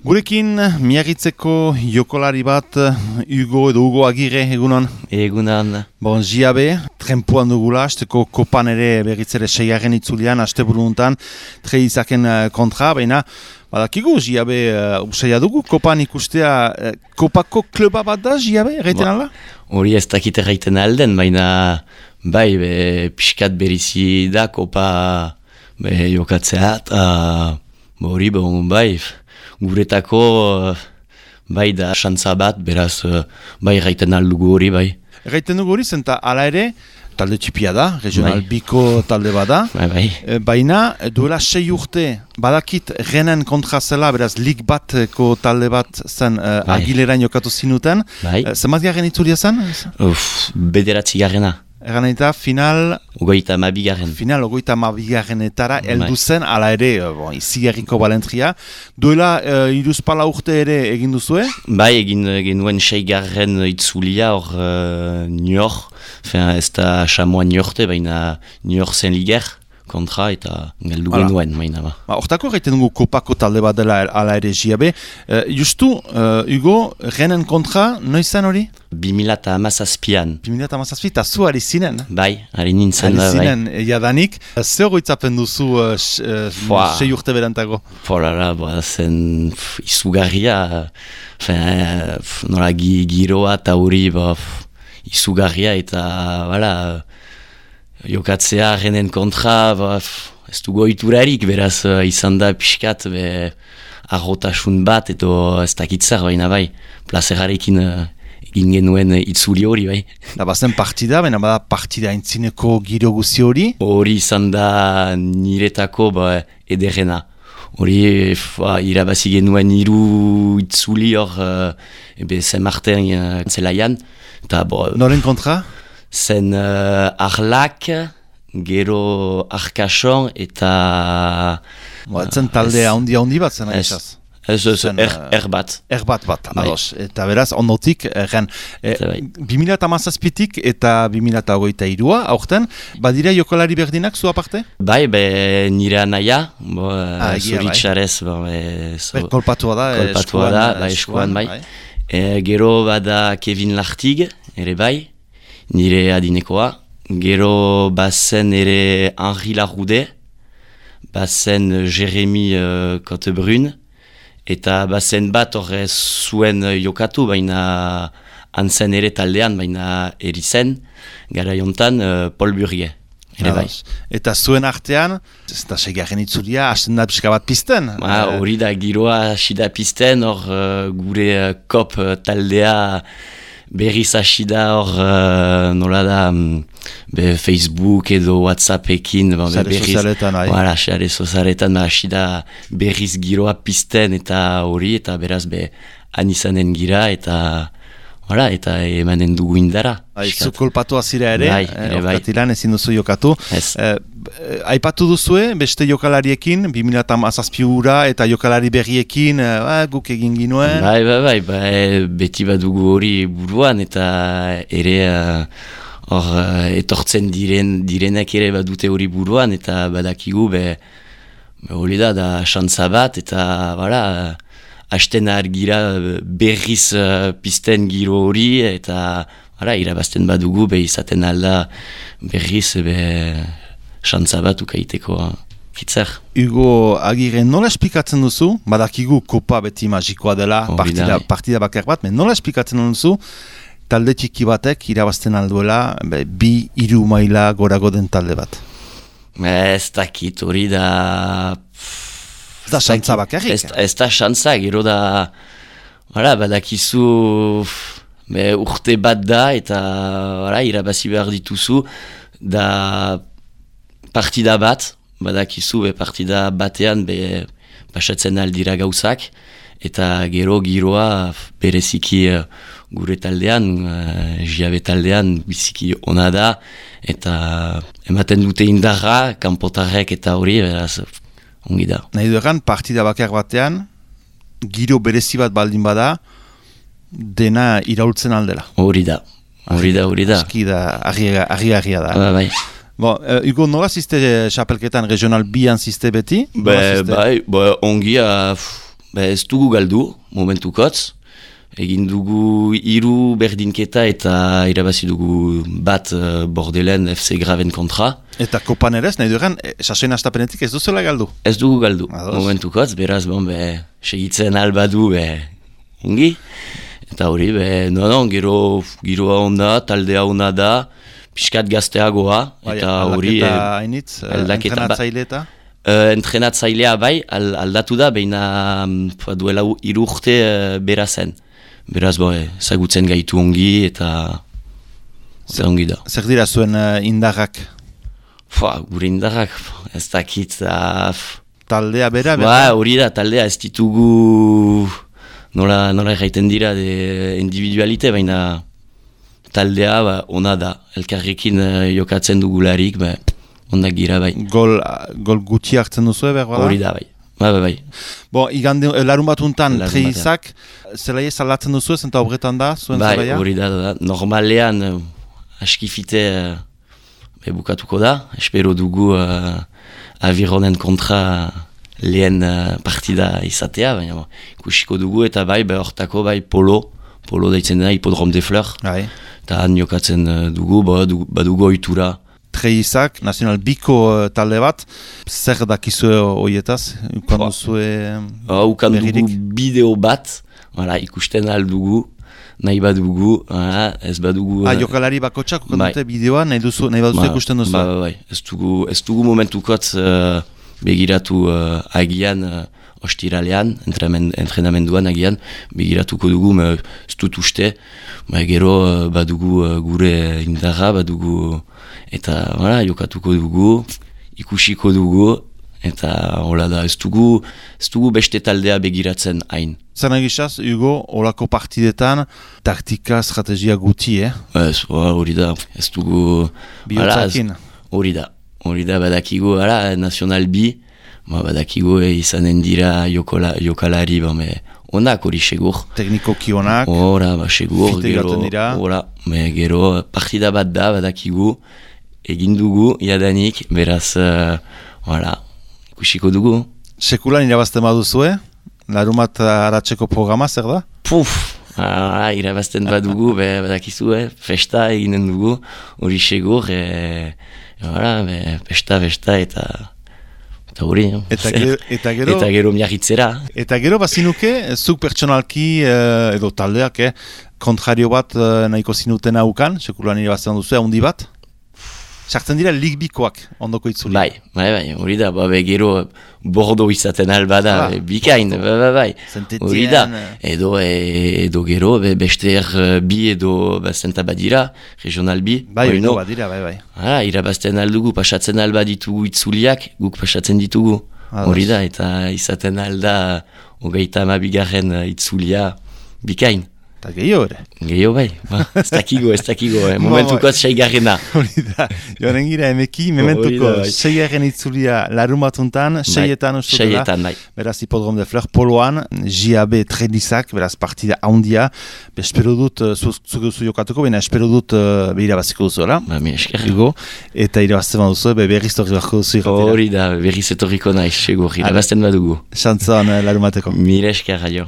Gurekin, Miagitzeko jokolari bat, Hugo Agirre, egunon? Egunon. Bon, Jiabe, trenpuan dugula, asteko kopan ere berritzere seigarren itzulian, aste buruntan, Treizaken kontra, baina, badakigu, Jiabe, usaila dugu, kopan ikustea, kopako kluba bat da, Jiabe, erraiten ala? Hori ez dakit erraiten alden, baina, bai, pixkat berizi da, kopa jokatzea, eta hori, bai, guretako bai da xantza bat, beraz bai erraiten aldugu hori, bai. Erraiten dugu hori, zenta ala ere, talde txipia da, regional biko talde bada, baina duela 6 urte badakit Renen kontra zela, beraz lig batko talde bat zen Agilerain jokatu zinuten, zenbat garen itzulia zen? 9 garena. Egan eta final... Ogoita mabigarren. Final ogoita mabigarrenetara heldu zen, ala ere, izigarriko balentria. Duela iruzpala urte ere egin duzue? Bai, egin genuen 6 garren itzulia hor Nior. Ez da Chamois Niorte, baina Nior zen liger kontra eta galdu genuen, baina ba. Hortako egiten dugu kopako talde bat dela ala ere Jiabe. Justu, Hugo, Renen kontra, noiz zen hori? 2017an. 2017, eta zu ari zinen? Bai, ari nintzen da, bai. Ari zinen, jadanik. Zer goitzapen duzu 6 urte berantago? Zen izugarria, nola giroa eta hori izugarria eta, jokatzea Renen kontra, ez du goiturarik, beraz izan da pixkat, arrotasun bat, edo ez dakitzer, baina bai, plazerarekin egin genuen itzuli hori, bai. Da bazen partida, baina bada partida intzineko giro guzi hori? Hori izan da niretako ederrena. Hori irabazi genuen 3 itzuli hor, Saint-Martin zelaian. Noren kontra? Zen Arlak, gero Arkason eta... Zen talde handi bat zen aizaz? Erbat. Erbat bat, ados. Eta beraz, ondotik, 2017tik eta 2023a, aurten, badira jokolari berdinak zu aparte? Bai, nire anaia, zoritxarez. Kolpatua da, eskuan, bai. Gero bada Kevin Lartig, ere bai. Nire adinekoa, gero bazen ere Henri Laroude, bazen Jérémy Cotebrun, eta bazen bat horre zuen jokatu, baina antzen ere taldean, baina erizen, gara jontan Paul Burgie. Eta zuen artean, ez da segarren itzulia, hasten da pixka bat pizten? Hori da, giroa hasi da pizten, hor gure kop taldea, berriz hasi da hor, nola da, Facebook edo WhatsAppekin, sare sozialetan, hasi da berriz giroa pizten eta hori, eta beraz anizanen gira, eta emanen dugu indara. Zu kolpatu azira ere, orkatilan ezin duzu jokatu. Aipatu duzue, beste jokalariekin, 2017 eta jokalari berriekin, guk egin ginuen. Bai, beti badugu hori buruan, eta ere etortzen direnak ere badute hori buruan, eta badakigu, hori da xantza bat, eta hasten argira berriz pizten giro hori, eta irabazten badugu, izaten alda berriz xantza bat ukaiteko hitzer. Hugo Agirre, nola esplikatzen duzu? Badakigu kopa beti magikoa dela, partida bakar bat, nola esplikatzen duzu talde txiki batek irabazten alduela 2-3 maila gorago den talde bat? Ez dakit, hori da... Ez da xantza bakarrik? Ez da xantza, gero da... badakizu urte bat da, eta irabazi behar dituzu, da partida bat, badakizu partida batean pasatzen aldira gauzak, eta gero giroa bereziki gure taldean, Jiabe taldean biziki ona da, eta ematen dute indarra, kanpotarrek eta hori, beraz... Ongi da. Nahi dueran, partida bakar batean, giro berezi bat baldin bada, dena iraultzen aldela. Hori da. Aski da, argi-argia da. Bai. Bon, Hugo, nola ziste xapelketan regional bian ziste beti? Bai, ongi, ez dugu galdu, momentukotz. Egin dugu 3 berdinketa eta irabazi dugu bat Bordelen FC Graven kontra. Eta kopan ere ez, nahi duren, sasoin astapenetik ez duzuela galdu? Ez dugu galdu, momentukotz, beraz, segitzen albadu, ongi. Eta hori, giroa onda, taldea onda da, piskat gazteagoa, eta hori... Aldaketa hainitz, entrenatzaile eta? Entrenatzailea bai, aldatu da, beina duela 3 urte bera zen. Beraz, zagutzen gaitu ongi eta zer ongi da. Zer dira zuen indarrak? Gure indarrak, ez dakit... Taldea bera? Hori da, taldea ez ditugu... Nola erraiten dira individualite, baina taldea ona da. Elkarrekin jokatzen dugularik, ondak gira bai. Gol guti hartzen duzu behar bada? Hori da bai. Bai. Igande, larun batuntan, Treizak, zelaia salatzen duzu ez, eta obretan da, zuen zelaia? Bai, hori da. Normalean, askifite bukatuko da. Espero dugu Avironen kontra lehen partida izatea, baina ikusiko dugu, eta hortako polo daitzen dena, Hipodrome de Fleur, eta han jokatzen dugu, badugu ohitura. Treizak, Nacional Biko talde bat, zer dakizue horietaz? Ukan dugu bideo bat, ikusten aldugu, nahi badugu, ez badugu... Jokalari bakotxak ukan dute bideoa, nahi baduzu ikusten duzu? Bai, ez dugu momentukot begiratu agian ostiralean, entrenamenduan agian, begiratuko dugu, ez dut uste, gero badugu gure indarra, badugu... Eta jokatuko dugu, ikusiko dugu, eta hola da, ez dugu beste taldea begiratzen hain. Zer nagizaz, Hugo, holako partidetan, taktika, estrategia guti, Ez, hori da, ez dugu... Bihotzakin? Hori da, badakigu, Nacional B, badakigu izanen dira jokalari, onak hori segur. Teknikoki onak, segur, gero partida bat da, badakigu, egin dugu, jadanik, beraz, ikusiko dugu. Sekulan irabazten baduzue? Larumat haratzeko programa, zer da? Irabazten badugu, badakizu, festa eginen dugu, hori segur, festa eta hori. Eta gero miagitzera. Eta gero bazinuke, zuk pertsonalki edo taldeak, kontrario bat nahiko zinuten haukan, sekulan irabazten duzu, handi bat? Sartzen dira ligbikoak ondoko itzuli. Bai, hori da, gero bordo izaten albada, bikain, bai. Hori da, edo gero, beste bi edo zenta badira, regional bi. Bai, badira, bai. Irabazten aldugu, pasatzen alba ditugu itzuliak, guk pasatzen ditugu. Hori da, eta izaten alda, 32 itzulia, bikain. Eta gehiago ere? Gehiago bai, ez dakigo, momentuko 6garrena. Hori da, joaren gira emeki, mementuko 6garren itzulia larumatuntan, 6etan ustu dela. 6etan, bai. Beraz, Hipodrome de Fleur poloan, JAB Treizak, beraz, partida haundia. Espero dut, zuk duzu jokatuko, baina espero dut irabaziko duzu, ala? Mi esker. Eta irabazten baduzu, berriz torri barko duzu irratera. Hori da, berriz etorriko nahi, segur, irabazten badugu. Xantzan larumateko. Mi esker, aio.